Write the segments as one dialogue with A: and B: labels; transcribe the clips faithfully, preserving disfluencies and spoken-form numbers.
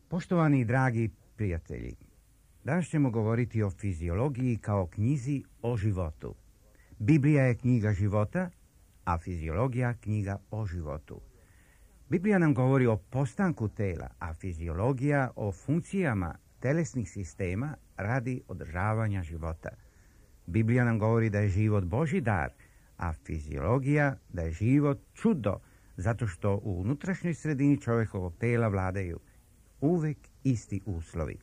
A: Poštovani i dragi prijatelji, danas ćemo govoriti o fiziologiji kao knjizi o životu. Biblija je knjiga života, a fiziologija knjiga o životu. Biblija nam govori o postanku tela, a fiziologija o funkcijama telesnih sistema radi održavanja života. Biblija nam govori da je život Božji dar, a fiziologija da je život čudo, zato što u unutrašnjoj sredini čovjekovog tela vladaju uvek isti uslovi.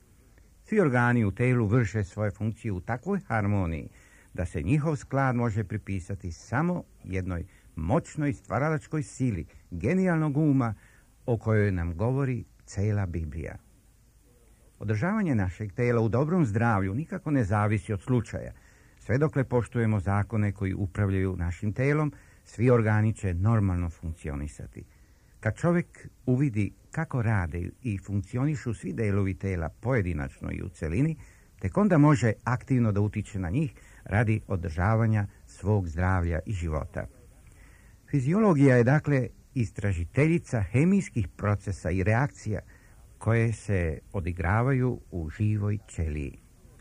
A: Svi organi u telu vrše svoje funkcije u takvoj harmoniji da se njihov sklad može pripisati samo jednoj moćnoj stvaralačkoj sili, genijalnog uma o kojoj nam govori cela Biblija. Održavanje našeg tela u dobrom zdravlju nikako ne zavisi od slučaja. Sve dokle poštujemo zakone koji upravljaju našim telom, svi organi će normalno funkcionisati. Kad čovjek uvidi kako rade i funkcionišu svi delovi tela pojedinačno i u celini, tek onda može aktivno da utiče na njih radi održavanja svog zdravlja i života. Fiziologija je dakle istražiteljica hemijskih procesa i reakcija koje se odigravaju u živoj ćeliji.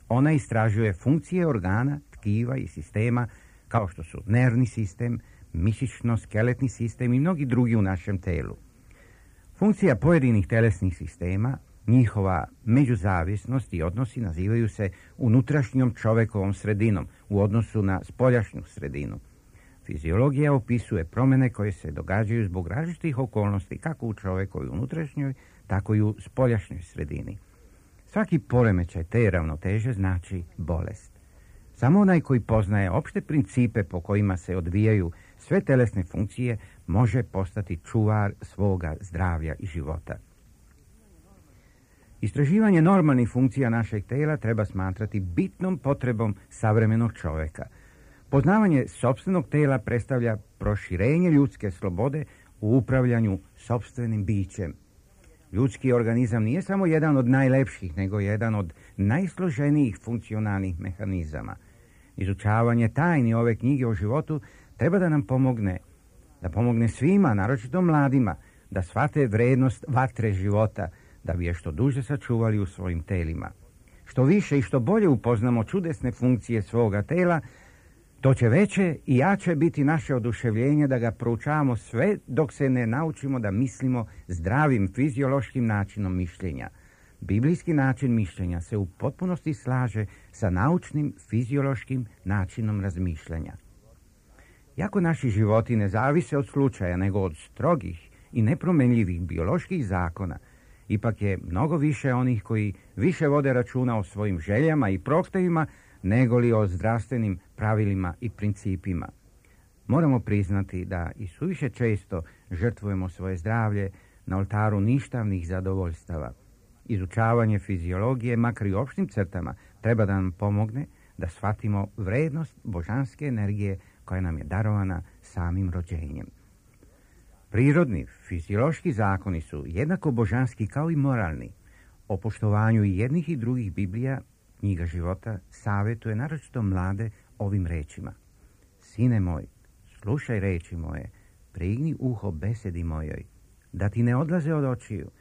A: Ona istražuje funkcije organa, tkiva i sistema kao što su nervni sistem, mišićno-skeletni sistem i mnogi drugi u našem telu. Funkcija pojedinih telesnih sistema, njihova međuzavisnost i odnosi nazivaju se unutrašnjom čovekovom sredinom u odnosu na spoljašnju sredinu. Fiziologija opisuje promjene koje se događaju zbog različitih okolnosti kako u čovekovoj unutrašnjoj, tako i u spoljašnjoj sredini. Svaki poremećaj te ravnoteže znači bolest. Samo onaj koji poznaje opšte principe po kojima se odvijaju sve telesne funkcije može postati čuvar svoga zdravlja i života. Istraživanje normalnih funkcija našeg tela treba smatrati bitnom potrebom savremenog čovjeka. Poznavanje sopstvenog tela predstavlja proširenje ljudske slobode u upravljanju sopstvenim bićem. Ljudski organizam nije samo jedan od najlepših, nego jedan od najsloženijih funkcionalnih mehanizama. Izučavanje tajni ove knjige o životu treba da nam pomogne, da pomogne svima, naročito mladima, da shvate vrednost vatre života, da bi je što duže sačuvali u svojim telima. Što više i što bolje upoznamo čudesne funkcije svoga tela, to će veće i jače biti naše oduševljenje da ga proučavamo sve dok se ne naučimo da mislimo zdravim fiziološkim načinom mišljenja. Biblijski način mišljenja se u potpunosti slaže sa naučnim fiziološkim načinom razmišljanja. Iako naši životi ne zavise od slučaja, nego od strogih i nepromenljivih bioloških zakona, ipak je mnogo više onih koji više vode računa o svojim željama i prohtevima nego li o zdravstvenim pravilima i principima. Moramo priznati da i suviše često žrtvujemo svoje zdravlje na oltaru ništavnih zadovoljstava. Izučavanje fiziologije, makar i u opštim crtama, treba da nam pomogne da shvatimo vrednost božanske energije koja nam je darovana samim rođenjem. Prirodni, fiziološki zakoni su jednako božanski kao i moralni. O poštovanju i jednih i drugih Biblija, knjiga života, savjetuje naročito mlade ovim rečima. Sine moj, slušaj reči moje, prigni uho besedi mojoj, da ti ne odlaze od očiju,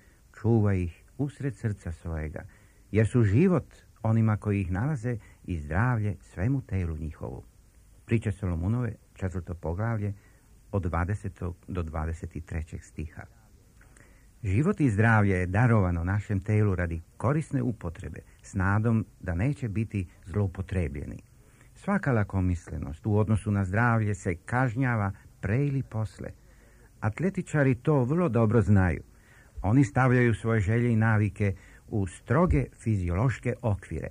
A: čuvaj ih usred srca svojega, jer su život onima koji ih nalaze i zdravlje svemu telu njihovu. Priče Solomunove, četvrto poglavlje, od dvadesetog do dvadeset trećeg stiha. Život i zdravlje je darovano našem telu radi korisne upotrebe, s nadom da neće biti zloupotrebljeni. Svaka lakomislenost u odnosu na zdravlje se kažnjava pre ili posle. Atletičari to vrlo dobro znaju. Oni stavljaju svoje želje i navike u stroge fiziološke okvire.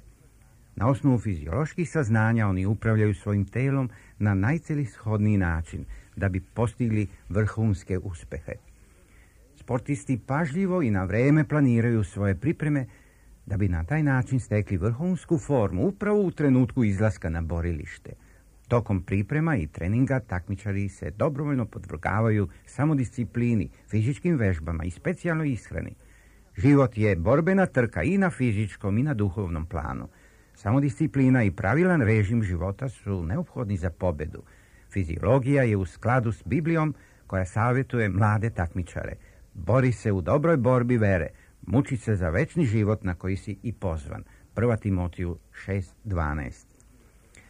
A: Na osnovu fizioloških saznanja oni upravljaju svojim telom na najcelishodniji način da bi postigli vrhunske uspehe. Sportisti pažljivo i na vreme planiraju svoje pripreme da bi na taj način stekli vrhunsku formu upravo u trenutku izlaska na borilište. Tokom priprema i treninga takmičari se dobrovoljno podvrgavaju samodisciplini, fizičkim vežbama i specijalnoj ishrani. Život je borbena trka i na fizičkom i na duhovnom planu. Samodisciplina i pravilan režim života su neophodni za pobedu. Fiziologija je u skladu s Biblijom koja savjetuje mlade takmičare. Bori se u dobroj borbi vere, muči se za večni život na koji si i pozvan. Prva Timotiju šest dvanaest.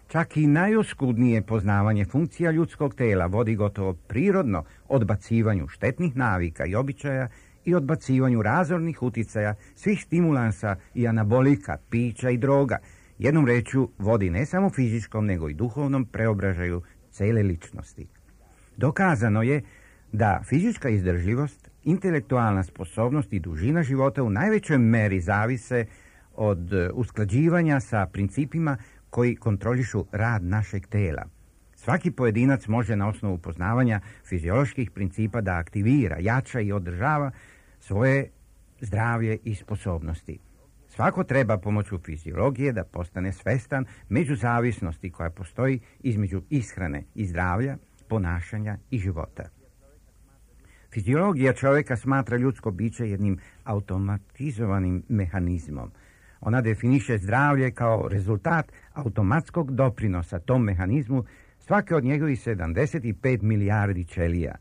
A: Čak i najoskudnije poznavanje funkcija ljudskog tela vodi gotovo prirodno odbacivanju štetnih navika i običaja i odbacivanju razornih uticaja svih stimulansa i anabolika, pića i droga. Jednom rečju vodi ne samo fizičkom nego i duhovnom preobražaju cele ličnosti. Dokazano je da fizička izdržljivost, intelektualna sposobnost i dužina života u najvećoj meri zavise od usklađivanja sa principima koji kontrolišu rad našeg tela. Svaki pojedinac može na osnovu poznavanja fizioloških principa da aktivira, jača i održava svoje zdravlje i sposobnosti. Svako treba pomoću fiziologije da postane svestan međuzavisnosti koja postoji između ishrane i zdravlja, ponašanja i života. Fiziologija čovjeka smatra ljudsko biće jednim automatizovanim mehanizmom. Ona definiše zdravlje kao rezultat automatskog doprinosa tom mehanizmu svake od njegovih sedamdeset pet milijardi ćelija.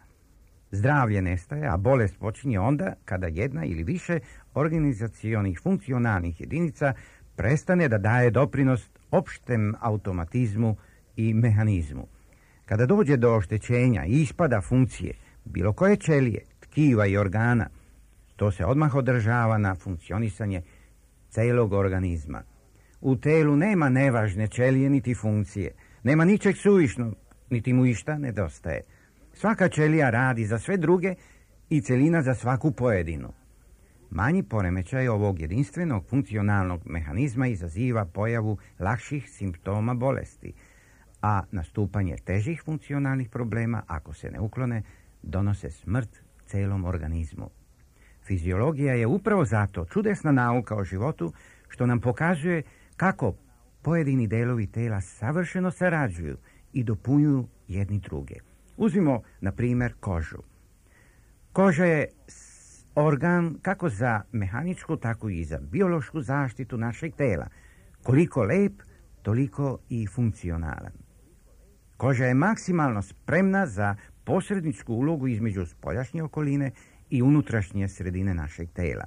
A: Zdravlje nestaje, a bolest počinje onda kada jedna ili više organizacionih funkcionalnih jedinica prestane da daje doprinos opštem automatizmu i mehanizmu. Kada dođe do oštećenja i ispada funkcije bilo koje ćelije, tkiva i organa, to se odmah održava na funkcionisanje celog organizma. U telu nema nevažne ćelije niti funkcije, nema ničeg suvišnog, niti mu išta nedostaje. Svaka ćelija radi za sve druge i celina za svaku pojedinu. Manji poremećaj ovog jedinstvenog funkcionalnog mehanizma izaziva pojavu lakših simptoma bolesti, a nastupanje težih funkcionalnih problema, ako se ne uklone, donose smrt celom organizmu. Fiziologija je upravo zato čudesna nauka o životu što nam pokazuje kako pojedini delovi tela savršeno sarađuju i dopunjuju jedni druge. Uzmimo, na primjer, kožu. Koža je organ kako za mehaničku, tako i za biološku zaštitu našeg tela. Koliko lep, toliko i funkcionalan. Koža je maksimalno spremna za posredničku ulogu između spoljašnje okoline i unutrašnje sredine našeg tela.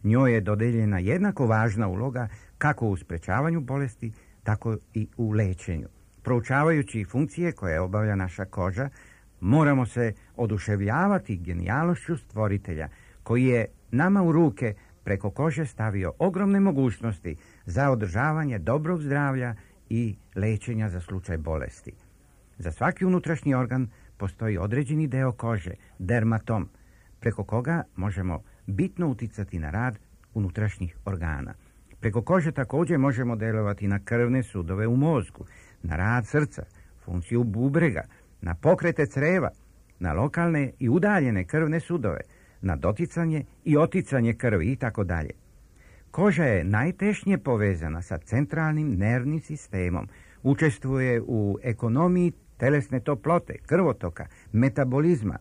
A: Njoj je dodeljena jednako važna uloga kako u sprečavanju bolesti, tako i u lečenju. Proučavajući funkcije koje obavlja naša koža, moramo se oduševljavati genijalnošću stvoritelja, koji je nama u ruke preko kože stavio ogromne mogućnosti za održavanje dobrog zdravlja i lečenja za slučaj bolesti. Za svaki unutrašnji organ postoji određeni deo kože, dermatom, preko koga možemo bitno uticati na rad unutrašnjih organa. Preko kože također možemo delovati na krvne sudove u mozgu, na rad srca, funkciju bubrega, na pokrete creva, na lokalne i udaljene krvne sudove, na doticanje i oticanje krvi i tako dalje. Koža je najtešnje povezana sa centralnim nervnim sistemom, učestvuje u ekonomiji telesne toplote, krvotoka, metabolizma,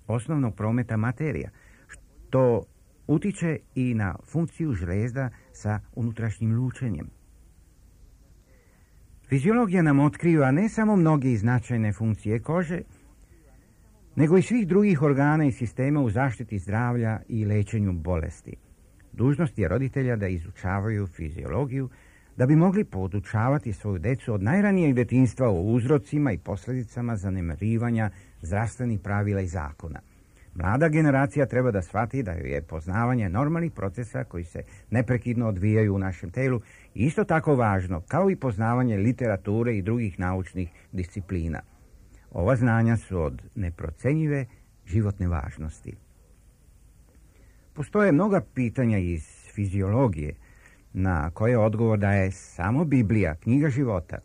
A: osnovnog prometa materija, što utiče i na funkciju žlezda sa unutrašnjim lučenjem. Fiziologija nam otkriva ne samo mnoge značajne funkcije kože, nego i svih drugih organa i sistema u zaštiti zdravlja i lečenju bolesti. Dužnost je roditelja da izučavaju fiziologiju, da bi mogli podučavati svoju decu od najranijeg detinjstva o uzrocima i posljedicama zanemarivanja zdravstvenih pravila i zakona. Mlada generacija treba da shvati da joj je poznavanje normalnih procesa koji se neprekidno odvijaju u našem telu isto tako važno kao i poznavanje literature i drugih naučnih disciplina. Ova znanja su od neprocenjive životne važnosti. Postoje mnoga pitanja iz fiziologije na koje odgovor daje samo Biblija, knjiga života.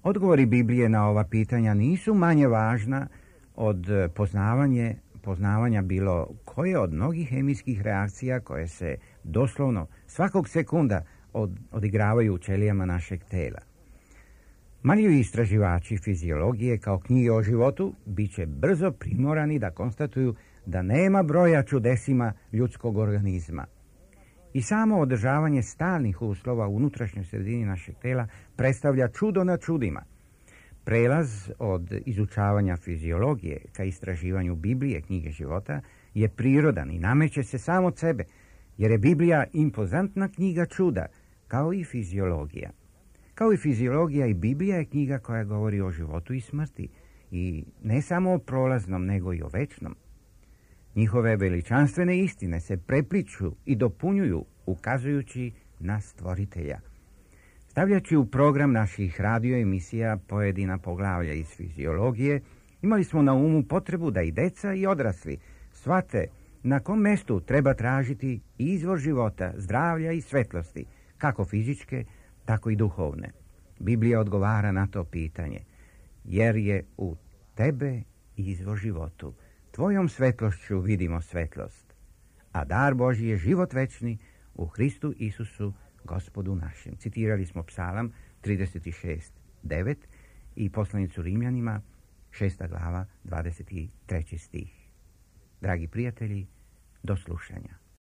A: Odgovori Biblije na ova pitanja nisu manje važna od poznavanje, poznavanja bilo koje od mnogih hemijskih reakcija koje se doslovno svakog sekunda od, odigravaju u ćelijama našeg tela. Marljivi istraživači fiziologije kao knjige o životu bit će brzo primorani da konstatuju da nema broja čudesima ljudskog organizma. I samo održavanje stalnih uslova u unutrašnjoj sredini našeg tela predstavlja čudo na čudima. Prelaz od izučavanja fiziologije ka istraživanju Biblije, knjige života, je prirodan i nameće se sam od sebe, jer je Biblija impozantna knjiga čuda, kao i fiziologija. Kao i fiziologija, i Biblija je knjiga koja govori o životu i smrti, i ne samo o prolaznom, nego i o večnom. Njihove veličanstvene istine se prepliču i dopunjuju, ukazujući na Stvoritelja. Stavljajući u program naših radio emisija pojedina poglavlja iz fiziologije, imali smo na umu potrebu da i deca i odrasli shvate na kom mestu treba tražiti izvor života, zdravlja i svetlosti, kako fizičke, tako i duhovne. Biblija odgovara na to pitanje, jer je u tebe izvor životu. Tvojom svetlošću vidimo svetlost, a dar Božji je život večni u Hristu Isusu, Gospodu našem. Citirali smo Psalam trideset šest devet i poslanicu Rimljanima, šesta glava, dvadeset treći stih. Dragi prijatelji, do slušanja.